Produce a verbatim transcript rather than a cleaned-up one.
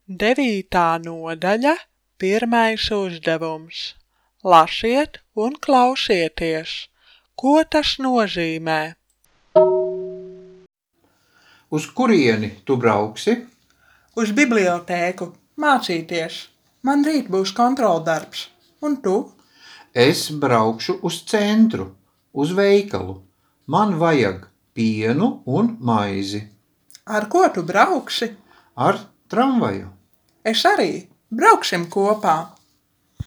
Devītā nodaļa, pirmais uzdevums. Lasiet un klausieties, ko tas nozīmē. Uz kurieni tu brauksi? Uz bibliotēku, mācīties. Man rīt būs kontroldarbs. Un tu? Es braukšu uz centru, uz veikalu. Man vajag pienu un maizi. Ar ko tu brauksi? Ar tramvaju. Es arī. Brauksim kopā.